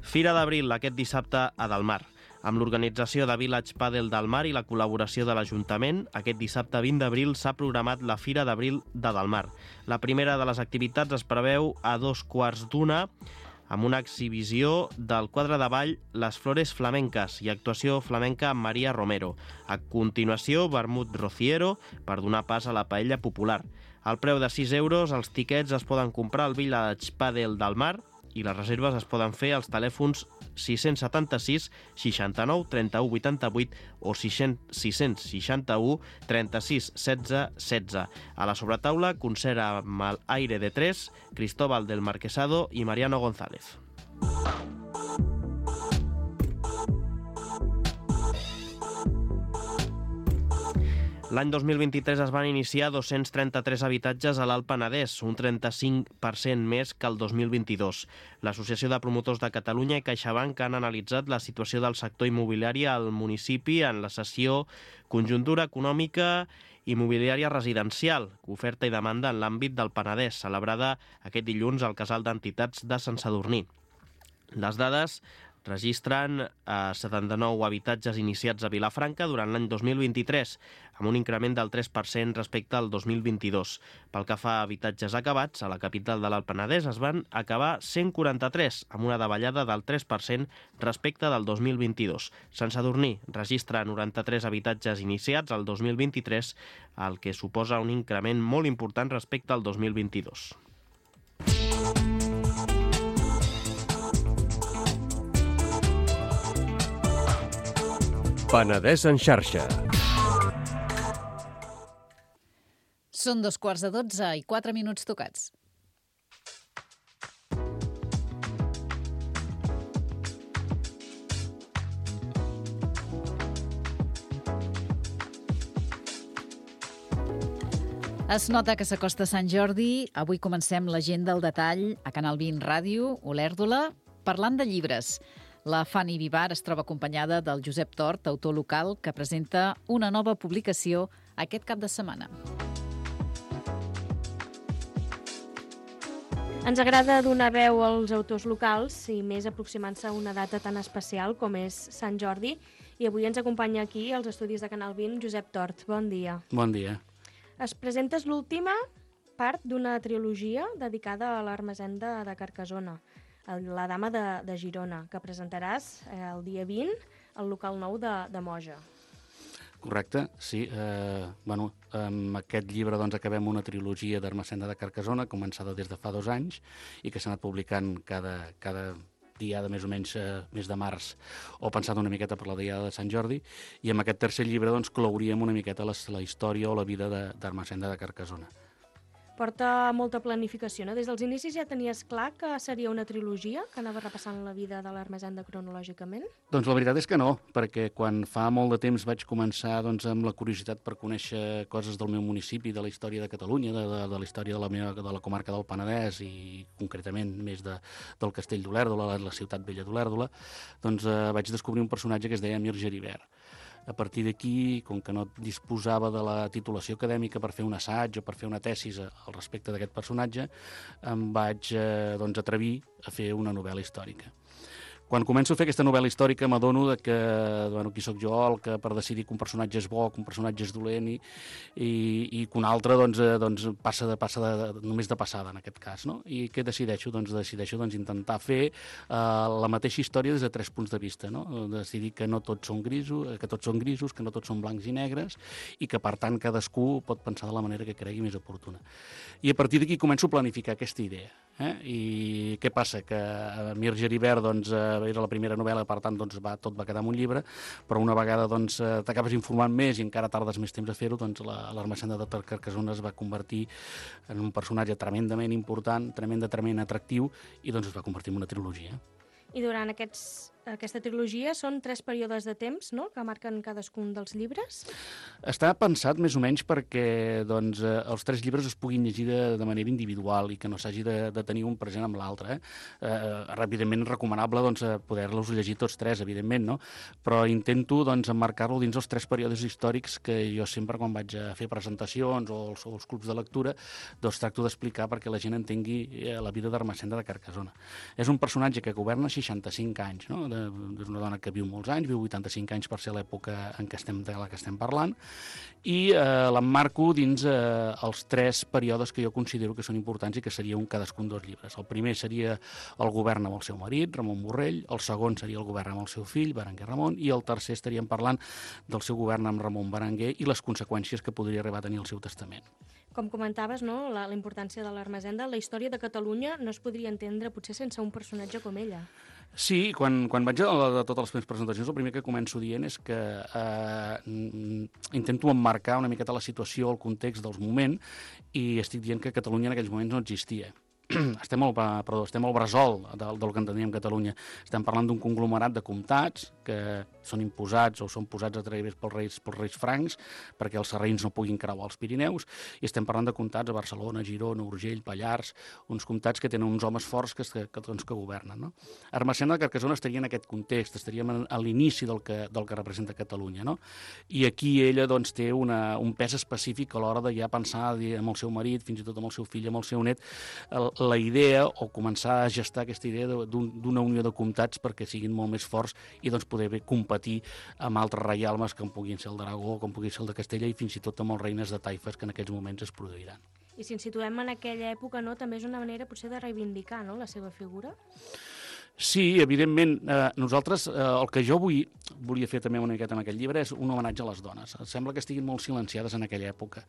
Fira d'Abril aquest dissabte a Delmar. Amb l'organització de Village Padel Delmar i la col·laboració de l'Ajuntament, aquest dissabte 20 d'abril s'ha programat la Fira d'Abril de Delmar. La primera de les activitats es preveu a 2:15 amb una exhibició del quadre de ball Les Flores Flamenques i actuació flamenca amb Maria Romero. A continuació, vermut rociero per donar pas a la paella popular. Al preu de 6 euros, els tiquets es poden comprar al Village Padel Delmar i les reserves es poden fer als telèfons 676 69 31 88 o 661 36 16 16. A la sobretaula, concert amb el Aire de Tres, Cristóbal del Marquesado i Mariano González. L'any 2023 es van iniciar 233 habitatges a l'Alt Penedès, un 35% més que el 2022. L'Associació de Promotors de Catalunya i CaixaBank han analitzat la situació del sector immobiliari al municipi en la sessió Conjuntura econòmica immobiliària residencial, oferta i demanda en l'àmbit del Penedès, celebrada aquest dilluns al Casal d'Entitats de Sant Sadurní. Les dades registren 79 habitatges iniciats a Vilafranca durant l'any 2023, amb un increment del 3% respecte al 2022. Pel que fa a habitatges acabats, a la capital de l'Alt Penedès es van acabar 143, amb una davallada del 3% respecte del 2022. Sant Sadurní registra 93 habitatges iniciats al 2023, el que suposa un increment molt important respecte al 2022. Penedès en xarxa. Són 2:15 i 4 minuts tocats. Es nota que s'acosta Sant Jordi. Avui comencem l'agenda al detall a Canal 20 Ràdio, Olèrdola, parlant de llibres. La Fanny Vivar es troba acompanyada del Josep Tort, autor local, que presenta una nova publicació aquest cap de setmana. Ens agrada donar veu als autors locals i més aproximant-se a una data tan especial com és Sant Jordi. I avui ens acompanya aquí, als estudis de Canal 20, Josep Tort. Bon dia. Bon dia. Es presentes l'última part d'una trilogia dedicada a l'Ermessenda de Carcassona, La Dama de Girona, que presentaràs el dia 20 al local nou de Moja. Correcte, sí. Amb aquest llibre acabem una trilogia d'Ermessenda de Carcassona, començada des de fa 2 anys, i que s'ha anat publicant cada diada més o menys mes de març, o pensat una miqueta per la diada de Sant Jordi, i amb aquest tercer llibre clouríem una miqueta la història o la vida d'Ermessenda de Carcassona. porta molta planificació, no? Des dels inicis ja tenies clar que seria una trilogia, que anava repassant la vida de l'Ermessenda cronològicament? Doncs la veritat és que no, perquè quan fa molt de temps vaig començar doncs, amb la curiositat per conèixer coses del meu municipi, de la història de Catalunya, de la història de la comarca del Penedès i concretament més del castell d'Olèrdola, la ciutat vella d'Olèrdola, doncs vaig descobrir un personatge que es deia Mir Geribert. A partir d'aquí, com que no disposava de la titulació acadèmica per fer un assaig o per fer una tesis al respecte d'aquest personatge, em vaig atrevir a fer una novel·la històrica. Quan començo a fer aquesta novel·la històrica m'adono que qui sóc jo, el que per decidir que un personatge és bo, que un personatge és dolent i que un altre passa només de passada en aquest cas. No? I què decideixo? Decideixo intentar fer la mateixa història des de 3 punts de vista. No? Decidir que no tots són grisos, que no tots són blancs i negres i que per tant cadascú pot pensar de la manera que cregui més oportuna. I a partir d'aquí començo a planificar aquesta idea. I què passa? Que Mir Geribert era la primera novel·la, per tant tot va quedar en un llibre, però una vegada t'acabes informant més i encara tardes més temps a fer-ho, l'Ermessenda de Carcassona es va convertir en un personatge tremendament important, tremendament atractiu i es va convertir en una trilogia. I durant aquesta trilogia són 3 períodes de temps, no?, que marquen cadascun dels llibres? Està pensat més o menys perquè els 3 llibres es puguin llegir de manera individual i que no s'hagi de tenir un present amb l'altre. Evidentment és recomanable poder-los llegir tots 3, evidentment, no? Però intento emmarcar-lo dins els 3 períodes històrics que jo sempre, quan vaig a fer presentacions o els clubs de lectura, tracto d'explicar perquè la gent entengui la vida d'Ermessenda de Carcassona. És un personatge que governa 65 anys, no? És una dona que viu molts anys, viu 85 anys per ser l'època de la que estem parlant, i l'emmarco dins els 3 períodes que jo considero que són importants i que seria cadascun dels llibres. El primer seria el govern amb el seu marit, Ramon Borrell, el segon seria el govern amb el seu fill, Berenguer Ramon, i el tercer estaríem parlant del seu govern amb Ramon Berenguer i les conseqüències que podria arribar a tenir el seu testament. Com comentaves, no?, la importància de l'Ermessenda, la història de Catalunya no es podria entendre potser sense un personatge com ella. Sí, quan vaig a totes les meves presentacions, el primer que començo dient és que intento emmarcar una miqueta la situació, el context dels moments, i estic dient que Catalunya en aquells moments no existia. Estem al bressol del que enteníem Catalunya. Estem parlant d'un conglomerat de comtats que són imposats o són posats a través pels reis francs perquè els sarraïns no puguin creuar els Pirineus, i estem parlant de comtats a Barcelona, Girona, Urgell, Pallars, uns comtats que tenen uns homes forts que governen. No? Ermessenda de Carcassona estaria en aquest context, estaríem a l'inici del que representa Catalunya. No? I aquí ella té un pes específic a l'hora de ja pensar amb el seu marit, fins i tot amb el seu fill, amb el seu net, la idea o començar a gestar aquesta idea d'una unió de comtats perquè siguin molt més forts i poder competir amb altres reialmes com puguin ser el d'Aragó, com puguin ser el de Castella i fins i tot amb els reines de taifes que en aquells moments es produiran. I si ens situem en aquella època, no, també és una manera potser de reivindicar, no?, la seva figura? Sí, evidentment. Nosaltres, el que jo volia fer també una miqueta en aquest llibre és un homenatge a les dones. Sembla que estiguin molt silenciades en aquella època.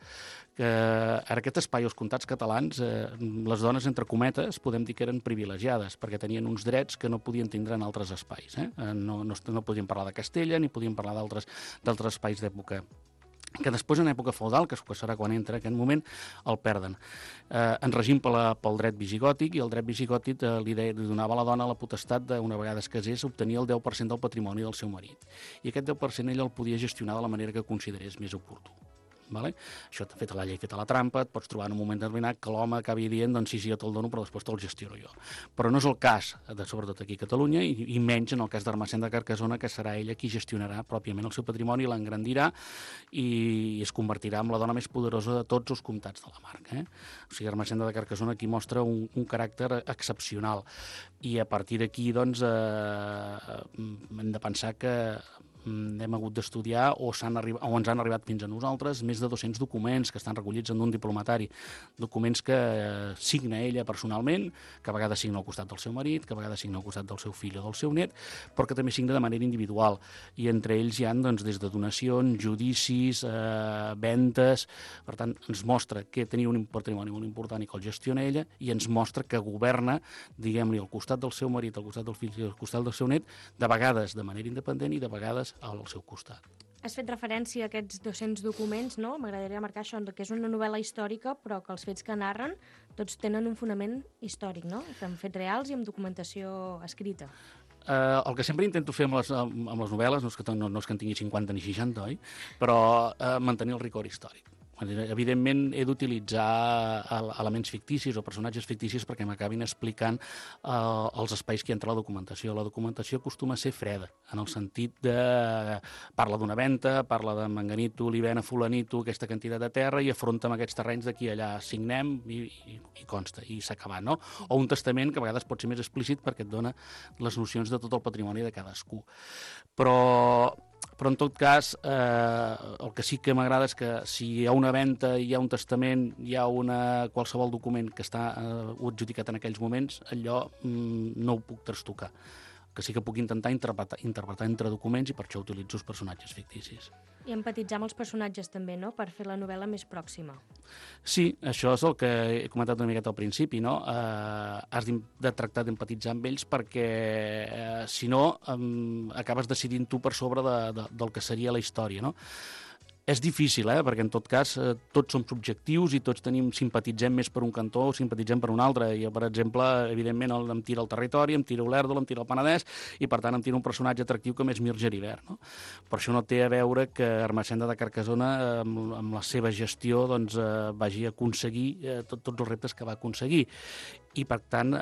Que en aquest espai, els comtats catalans, les dones, entre cometes, podem dir que eren privilegiades, perquè tenien uns drets que no podien tindre en altres espais. No podien parlar de Castella ni podien parlar d'altres espais d'època que després, en època feudal, que serà quan entra aquest moment, el perden. En règim pel dret visigòtic, i el dret visigòtic li donava a la dona la potestat de, una vegada es casés, obtenir el 10% del patrimoni del seu marit. I aquest 10% ell el podia gestionar de la manera que considerés més oportú. Vale? Això t'ha fet la llei, feta la trampa, et pots trobar en un moment determinat que l'home acabi dient sí, jo te'l dono, però després te'l gestiono jo. Però no és el cas, sobretot aquí a Catalunya, i menys en el cas d'Ermessenda de Carcassona, que serà ella qui gestionarà pròpiament el seu patrimoni, l'engrandirà i es convertirà en la dona més poderosa de tots els comtats de la marca. O sigui, Ermessenda de Carcassona aquí mostra un caràcter excepcional. I a partir d'aquí, hem de pensar que hem hagut d'estudiar o ens han arribat fins a nosaltres més de 200 documents que estan recollits en un diplomatari, documents que signa ella personalment, que a vegades signa al costat del seu marit, que a vegades signa al costat del seu fill o del seu net, però que també signa de manera individual, i entre ells hi ha des de donacions, judicis, ventes. Per tant, ens mostra que tenia un patrimoni molt important i que el gestiona ella, i ens mostra que governa, diguem-li, al costat del seu marit, al costat del fill i al costat del seu net, de vegades de manera independent i de vegades al seu costat. Has fet referència a aquests 200 documents, no? M'agradaria marcar això, que és una novel·la històrica, però que els fets que narren tots tenen un fonament històric, no? Amb fets reals i amb documentació escrita. El que sempre intento fer amb les novel·les, no és que en tingui 50 ni 60, oi? Però mantenir el rigor històric. Evidentment, he d'utilitzar elements ficticis o personatges ficticis perquè m'acabin explicant els espais que hi ha entre la documentació. La documentació acostuma a ser freda, en el sentit de... Parla d'una venta, parla de manganito, olivena, fulanito, aquesta quantitat de terra, i afronta amb aquests terrenys d'aquí allà, signem i consta, i s'ha acabat, no? O un testament que a vegades pot ser més explícit perquè et dona les nocions de tot el patrimoni de cadascú. Però en tot cas, el que sí que m'agrada és que si hi ha una venda, hi ha un testament, hi ha qualsevol document que està adjudicat en aquells moments, allò no ho puc trastocar. Que sí que puc intentar interpretar entre documents i per això utilitzo els personatges ficticis. I empatitzar amb els personatges també, no?, per fer la novel·la més pròxima. Sí, això és el que he comentat una miqueta al principi, no? Has de tractar d'empatitzar amb ells perquè, si no, acabes decidint tu per sobre del que seria la història, no? És difícil, perquè en tot cas tots som subjectius i tots simpatitzem més per un cantó o simpatitzem per un altre. Jo, per exemple, evidentment em tira el territori, em tira l'Erdol, em tira el Penedès i, per tant, em tira un personatge atractiu com és Mir Geribert, no? Però això no té a veure que Ermessenda de Carcassona, amb la seva gestió, vagi a aconseguir tots els reptes que va aconseguir. I, per tant,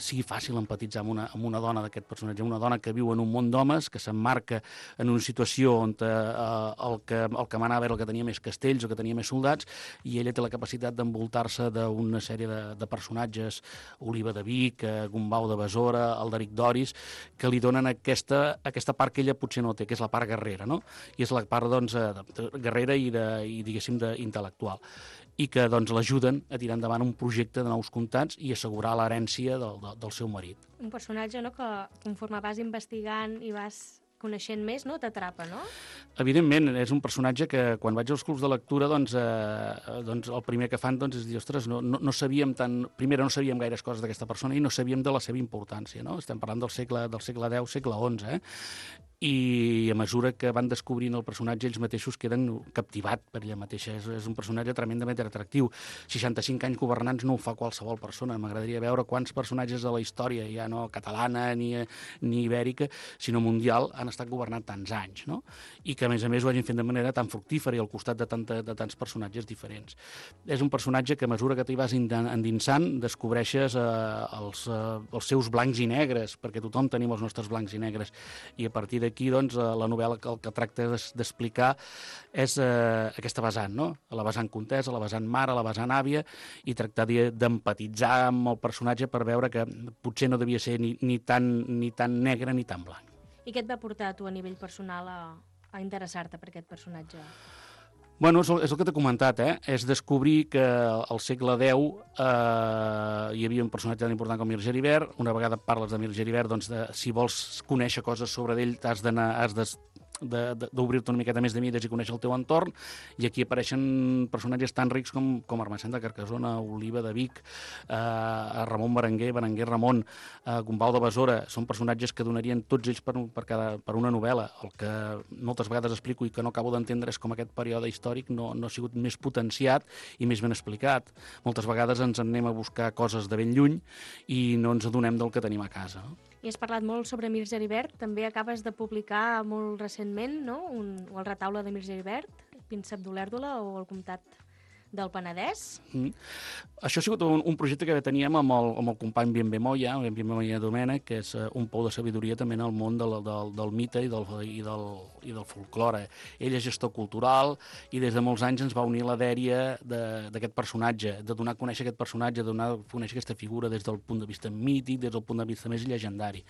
sigui fàcil empatitzar amb una dona d'aquest personatge, una dona que viu en un món d'homes, que s'emmarca en una situació on el que manava era el que tenia més castells o que tenia més soldats, i ella té la capacitat d'envoltar-se d'una sèrie de personatges, Oliva de Vic, Gombau de Besora, Alderic d'Oris, que li donen aquesta part que ella potser no té, que és la part guerrera, no? I és la part, guerrera i diguéssim, intel·lectual, i que l'ajuden a tirar endavant un projecte de nous comtats i assegurar l'herència del seu marit. Un personatge, no?, que conforme vas investigant i vas coneixent més, no?, t'atrapa, no? Evidentment, és un personatge que quan vaig als clubs de lectura, el primer que fan és dir, ostres, no sabíem primera no sabíem gaires coses d'aquesta persona i no sabíem de la seva importància, no? Estem parlant del segle X, segle XI, i a mesura que van descobrint el personatge ells mateixos queden captivats per ella mateixa. És un personatge tremendament atractiu. 65 anys governants no ho fa qualsevol persona. M'agradaria veure quants personatges de la història, ja no catalana ni ibèrica, sinó mundial, han estat governant tants anys, no? I que, a més ho hagin fet de manera tan fructífera i al costat de tants personatges diferents. És un personatge que a mesura que t'hi vas endinsant descobreixes els seus blancs i negres, perquè tothom tenim els nostres blancs i negres, i a partir d'aquí la novel·la el que tracta d'explicar és aquesta vessant, no? La vessant contesa, la vessant mare, la vessant àvia, i tractar d'empatitzar amb el personatge per veure que potser no devia ser ni tan negre ni tan blanc. I què et va portar a tu a nivell personal a interessar-te per aquest personatge? Bueno, és el que t'he comentat, és descobrir que al segle X hi havia un personatge tan important com Mir Geribert. Una vegada parles de Mir Geribert, si vols conèixer coses sobre ell has d'obrir-te una miqueta més de mides i conèixer el teu entorn, i aquí apareixen personatges tan rics com Ermessenda de Carcassona, Oliva de Vic, Ramon Berenguer Ramon, Gombau de Besora. Són personatges que donarien tots ells per una novel·la. El que moltes vegades explico i que no acabo d'entendre és com aquest període històric no ha sigut més potenciat i més ben explicat. Moltes vegades ens anem a buscar coses de ben lluny i no ens adonem del que tenim a casa, no? I has parlat molt sobre Mir Geribert, també acabes de publicar molt recentment, no?, el retaule de Mir Geribert, Príncep d'Olèrdola o el comtat del Penedès. Això ha sigut un projecte que teníem amb el company Bienve Moya Domènech, que és un pou de sabidoria també en el món del mite i del folklore. Ell és gestor cultural i des de molts anys ens va unir la dèria d'aquest personatge, de donar a conèixer aquest personatge, de donar a conèixer aquesta figura des del punt de vista mític, des del punt de vista més llegendari.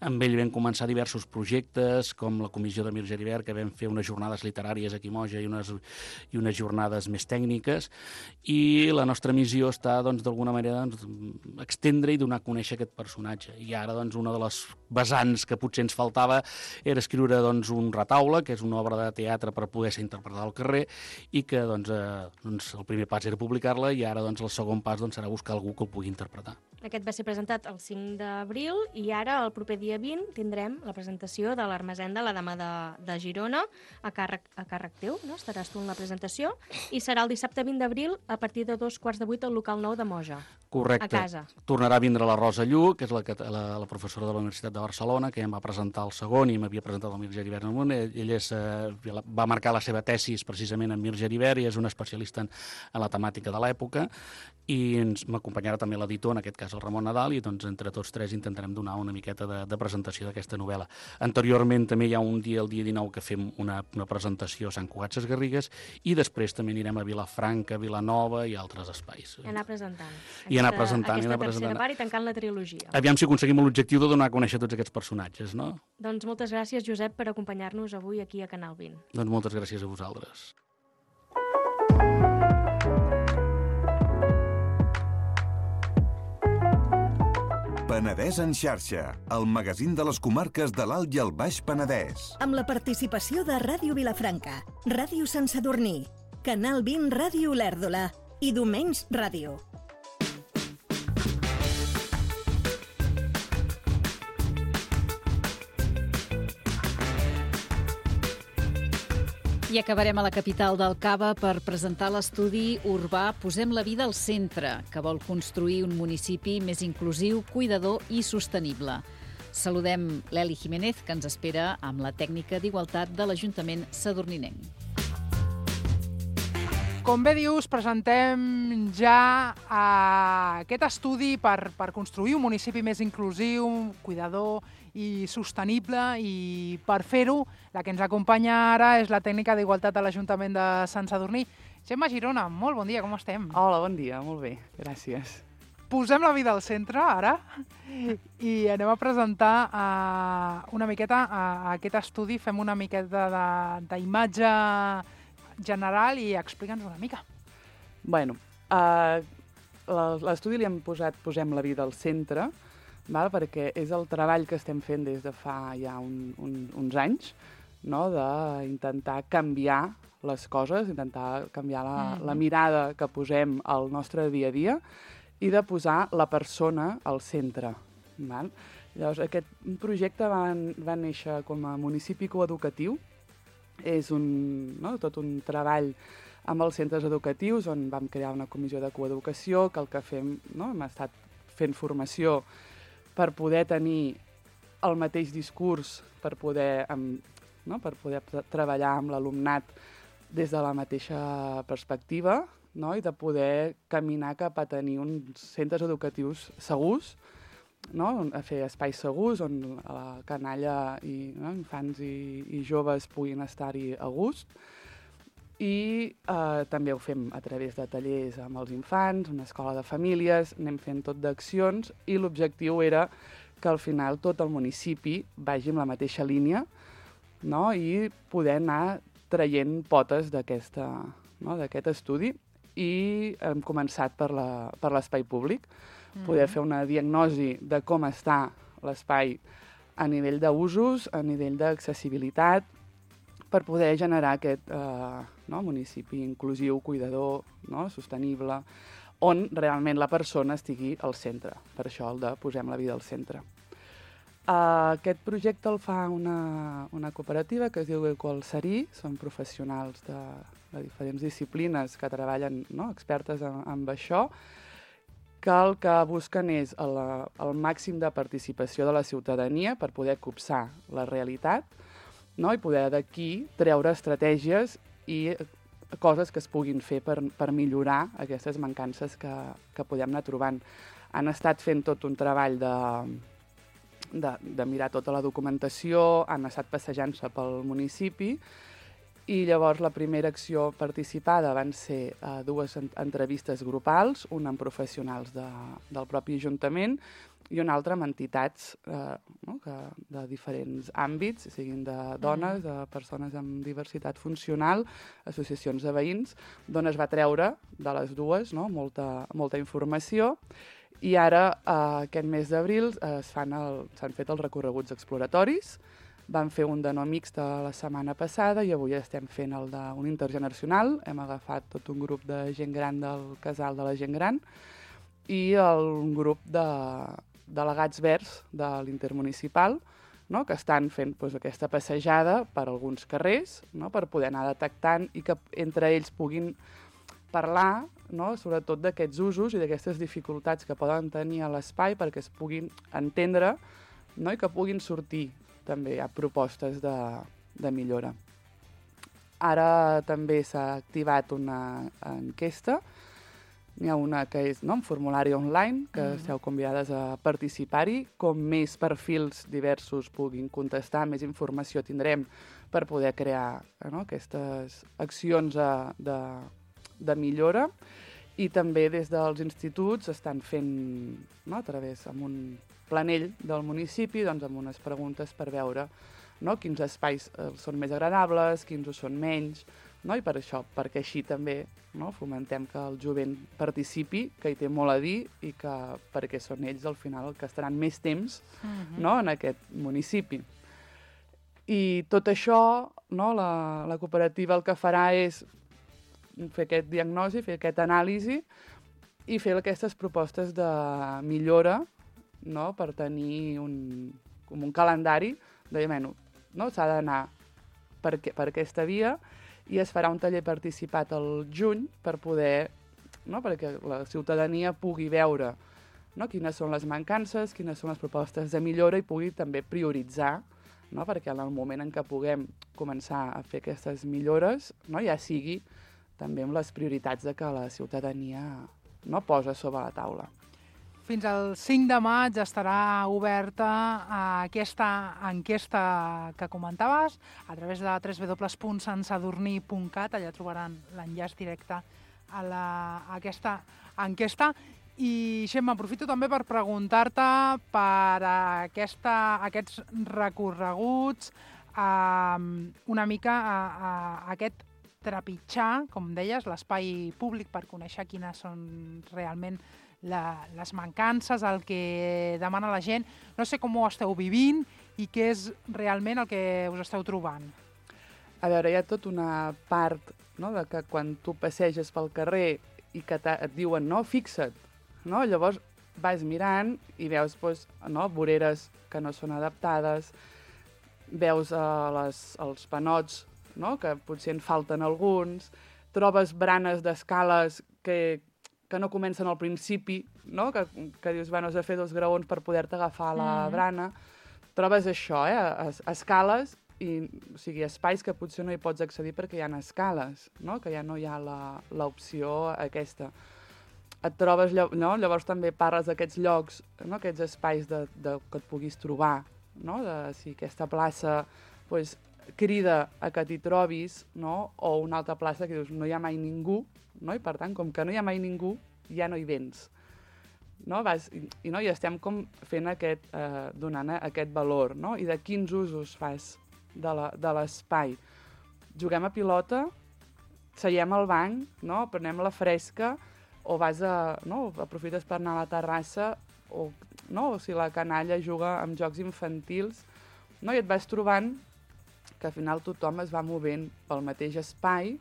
Amb ell vam començar diversos projectes, com la comissió de Mir Geribert, que vam fer unes jornades literàries aquí a Moja i unes jornades més tècniques, garrigues, i la nostra missió està, doncs, d'alguna manera, extendre i donar a conèixer aquest personatge. I ara, doncs, una de les vessants que potser ens faltava era escriure, doncs, un retaule, que és una obra de teatre per poder ser interpretada al carrer, i que, doncs, el primer pas era publicar-la, i ara, doncs, el segon pas serà buscar algú que el pugui interpretar. Aquest va ser presentat el 5 d'abril i ara, el proper dia 20, tindrem la presentació de l'Armesenda, la Dama de Girona, a càrrec teu, no? Estaràs tu en la presentació, i serà el dissabte 20 d'abril a partir de 2:15 al local 9 de Moja. Correcte. A casa. Tornarà a vindre la Rosa Lluc, que és la professora de la Universitat de Barcelona, que ja em va presentar el segon i m'havia presentat el Mir Geribert en el món. Ell va marcar la seva tesis precisament en Mir Geribert i és un especialista en la temàtica de l'època, i m'acompanyarà també l'editor, en aquest cas el Ramon Nadal, i doncs entre tots tres intentarem donar una miqueta de presentació d'aquesta novel·la. Anteriorment també hi ha un dia, el dia 19, que fem una presentació a Sant Cugat Sesgarrigues, i després també anirem a Vilafranca, Vilanova i altres espais. I anar presentant. I anar presentant. Aquesta tercera part i tancant la trilogia. Aviam si aconseguim l'objectiu de donar a conèixer tots aquests personatges, no? Doncs moltes gràcies, Josep, per acompanyar-nos avui aquí a Canal 20. Doncs moltes gràcies a vosaltres. Penedès en xarxa, el magazín de les comarques de l'Alt i el Baix Penedès. Amb la participació de Ràdio Vilafranca, Ràdio Sant Sadurní, Canal 20 Ràdio Olèrdola i Domenys Ràdio. I acabarem a la capital del Cava per presentar l'estudi urbà Posem la vida al centre, que vol construir un municipi més inclusiu, cuidador i sostenible. Saludem l'Eli Jiménez, que ens espera amb la tècnica d'igualtat de l'Ajuntament sadurninenc. Com bé dius, presentem ja aquest estudi per construir un municipi més inclusiu, cuidador i sostenible, i per fer-ho, la que ens acompanya ara és la tècnica d'igualtat de l'Ajuntament de Sant Sadurní. Gemma Girona, molt bon dia, com estem? Hola, bon dia, molt bé, gràcies. Posem la vida al centre, ara, i anem a presentar una miqueta aquest estudi, fem una miqueta d'imatge general i explica'ns una mica. Bueno, l'estudi li hem posat Posem la vida al centre, perquè és el treball que estem fent des de fa ja uns anys, d'intentar canviar les coses, intentar canviar la mirada que posem al nostre dia a dia i de posar la persona al centre. Llavors, aquest projecte va néixer com a municipi coeducatiu. És tot un treball amb els centres educatius on vam crear una comissió de coeducació que el que fem, hem estat fent formació per poder tenir el mateix discurs, per poder treballar amb l'alumnat des de la mateixa perspectiva, i de poder caminar cap a tenir uns centres educatius segurs, a fer espais segurs on la canalla i infants i joves puguin estar-hi a gust. I també ho fem a través de tallers amb els infants, una escola de famílies, anem fent tot d'accions, i l'objectiu era que al final tot el municipi vagi en la mateixa línia, i poder anar traient potes d'aquest estudi. I hem començat per l'espai públic, poder fer una diagnosi de com està l'espai a nivell d'usos, a nivell d'accessibilitat, per poder generar aquest municipi inclusiu, cuidador, sostenible, on realment la persona estigui al centre. Per això el de Posem la vida al centre. Aquest projecte el fa una cooperativa que es diu Equalserí, són professionals de diferents disciplines que treballen, expertes en això, que el que busquen és el màxim de participació de la ciutadania per poder copsar la realitat, i poder d'aquí treure estratègies i coses que es puguin fer per millorar aquestes mancances que podem anar trobant. Han estat fent tot un treball de mirar tota la documentació, han estat passejant-se pel municipi I llavors la primera acció participada van ser dues entrevistes grupals, una amb professionals del propi Ajuntament i una altra amb entitats de diferents àmbits, siguin de dones, de persones amb diversitat funcional, associacions de veïns, d'on es va treure de les dues molta informació. I ara, aquest mes d'abril, s'han fet els recorreguts exploratoris. Vam fer un de no mixta la setmana passada i avui estem fent el d'un intergeneracional. Hem agafat tot un grup de gent gran del casal de la gent gran i un grup de delegats verds de l'intermunicipal, que estan fent aquesta passejada per alguns carrers per poder anar detectant i que entre ells puguin parlar sobretot d'aquests usos i d'aquestes dificultats que poden tenir a l'espai perquè es puguin entendre i que puguin sortir també hi ha propostes de millora. Ara també s'ha activat una enquesta. N'hi ha una que és un formulari online, que esteu convidades a participar-hi. Com més perfils diversos puguin contestar, més informació tindrem per poder crear aquestes accions de millora. I també des dels instituts estan fent, a través amb un planell del municipi, amb unes preguntes per veure quins espais són més agradables, quins ho són menys, i per això, perquè així també fomentem que el jovent participi, que hi té molt a dir i que perquè són ells al final que estaran més temps en aquest municipi. I tot això, la cooperativa el que farà és fer aquest diagnòstic, fer aquesta anàlisi i fer aquestes propostes de millora per tenir un calendari de s'ha d'anar per aquesta via i es farà un taller participat al juny per poder, perquè la ciutadania pugui veure quines són les mancances, quines són les propostes de millora i pugui també prioritzar, perquè en el moment en què puguem començar a fer aquestes millores ja sigui també amb les prioritats que la ciutadania posa sobre la taula. Fins al 5 de maig estarà oberta aquesta enquesta que comentaves a través de www.sansadorní.cat. Allà trobaran l'enllaç directe a aquesta enquesta. I, Xemma, aprofito també per preguntar-te per aquests recorreguts, una mica aquest trepitjar, com deies, l'espai públic per conèixer quines són realment les mancances, el que demana la gent. No sé com ho esteu vivint i què és realment el que us esteu trobant. A veure, hi ha tota una part de que quan tu passeges pel carrer i que et diuen fixa't, llavors vas mirant i veus voreres que no són adaptades, veus els panots que potser en falten alguns, trobes branes d'escales que no comencen al principi, que dius, has de fer 2 graons per poder-te agafar la brana. Trobes això, escales, o sigui, espais que potser no hi pots accedir perquè hi ha escales, que ja no hi ha l'opció aquesta. Et trobes, llavors també parles d'aquests llocs, aquests espais que et puguis trobar, si aquesta plaça crida a que t'hi trobis, o una altra plaça que dius, no hi ha mai ningú, i per tant, com que no hi ha mai ningú, ja no hi vens. I estem com fent donant aquest valor, i de quins usos fas de l'espai. Juguem a pilota, seiem al banc, prenem la fresca, o aprofites per anar a la terrassa, o si la canalla juga amb jocs infantils, i et vas trobant que al final tothom es va movent pel mateix espai,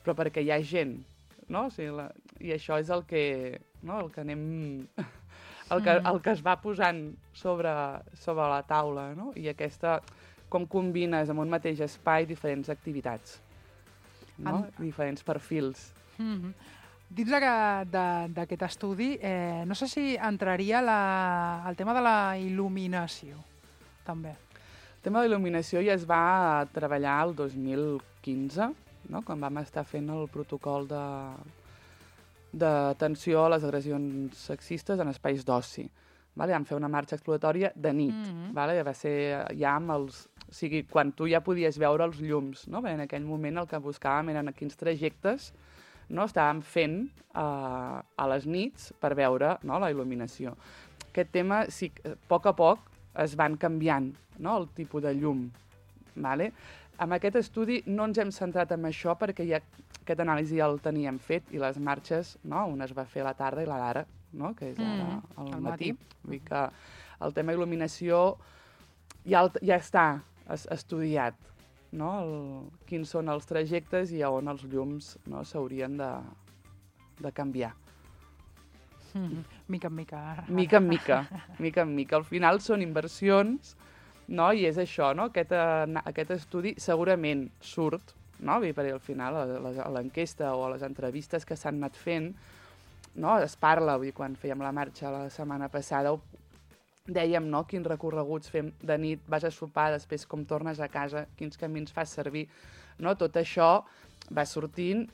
però perquè hi ha gent, i això és el que anem... el que es va posant sobre la taula, i com combines en un mateix espai diferents activitats, diferents perfils. Dins d'aquest estudi, no sé si entraria el tema de la il·luminació, també. El tema de la il·luminació ja es va treballar el 2015, quan vam estar fent el protocol d'atenció a les agressions sexistes en espais d'oci. Vam fer una marxa exploratòria de nit. Va ser ja amb O sigui, quan tu ja podies veure els llums, no? Bé, en aquell moment el que buscàvem eren quins trajectes, no, estàvem fent a les nits per veure, no, la il·luminació. Aquest tema, sí, a poc es van canviant, no, el tipus de llum. Vale? Amb aquest estudi no ens hem centrat en això perquè ja aquest anàlisi ja el teníem fet i les marxes, no, una es va fer a la tarda i la d'ara, no, que és ara al matí. Vull dir que el tema il·luminació ja està estudiat, no? Quins són els trajectes i on els llums, no, s'haurien de canviar. Mica en mica. Mica en mica. Al final són inversions, no? I és això, no? Aquest estudi segurament surt, no? Perquè al final a l'enquesta o a les entrevistes que s'han anat fent, no? Es parla, vull dir, quan fèiem la marxa la setmana passada, dèiem, no, quins recorreguts fem de nit, vas a sopar, després com tornes a casa, quins camins fas servir, no? Tot això va sortint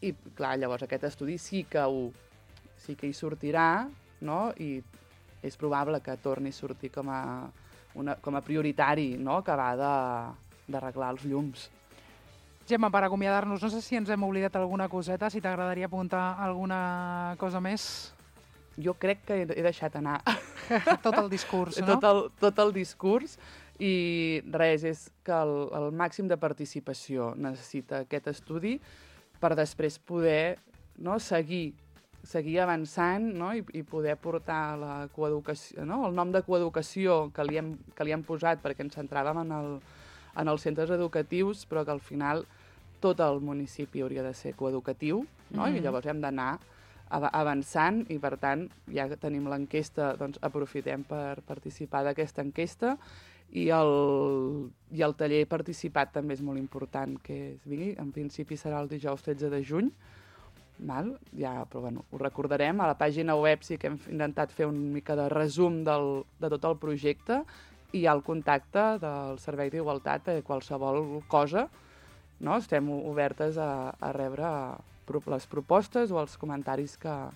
i, clar, llavors aquest estudi sí que hi sortirà, no? I és probable que torni a sortir com a prioritari, no? Acabar d'arreglar els llums. Gemma, per acomiadar-nos, no sé si ens hem oblidat alguna coseta, si t'agradaria apuntar alguna cosa més. Jo crec que he deixat anar. Tot el discurs, no? Tot el discurs i res, és que el màxim de participació necessita aquest estudi per després poder, no, seguir avançant, no, i poder portar la coeducació, no, el nom de coeducació que li hem posat perquè ens centràvem en els centres educatius, però que al final tot el municipi hauria de ser coeducatiu, no? I llavors hem d'anar avançant i, per tant, ja que tenim l'enquesta, doncs aprofitem per participar d'aquesta enquesta i el taller participat també és molt important que es vingui. En principi serà el dijous 13 de juny, val? Ja, però bueno, ho recordarem. A la pàgina web sí que hem intentat fer una mica de resum de tot el projecte i hi ha el contacte del Servei d'Igualtat a qualsevol cosa, no? Estem obertes a rebre les propostes o els comentaris que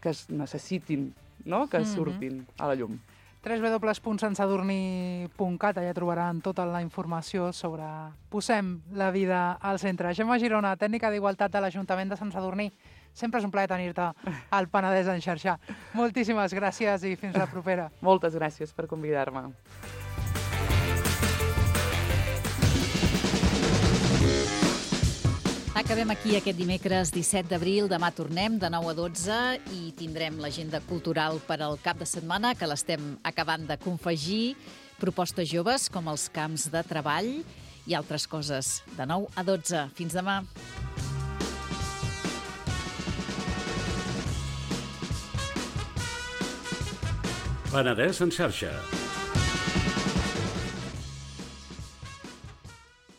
es necessitin, no? Que surtin a la llum. www.santsadurní.cat, allà trobaran tota la informació sobre Posem la vida al centre. Gemma Girona, tècnica d'Igualtat de l'Ajuntament de Sant Sadurní. Sempre és un plaer tenir-te al Penedès en xarxa. Moltíssimes gràcies i fins la propera. Moltes gràcies per convidar-me. Acabem aquí aquest dimecres 17 d'abril. Demà tornem de 9 a 12 i tindrem l'agenda cultural per al cap de setmana, que l'estem acabant de confegir. Propostes joves com els camps de treball i altres coses. De 9 a 12. Fins demà. Penedès en xarxa.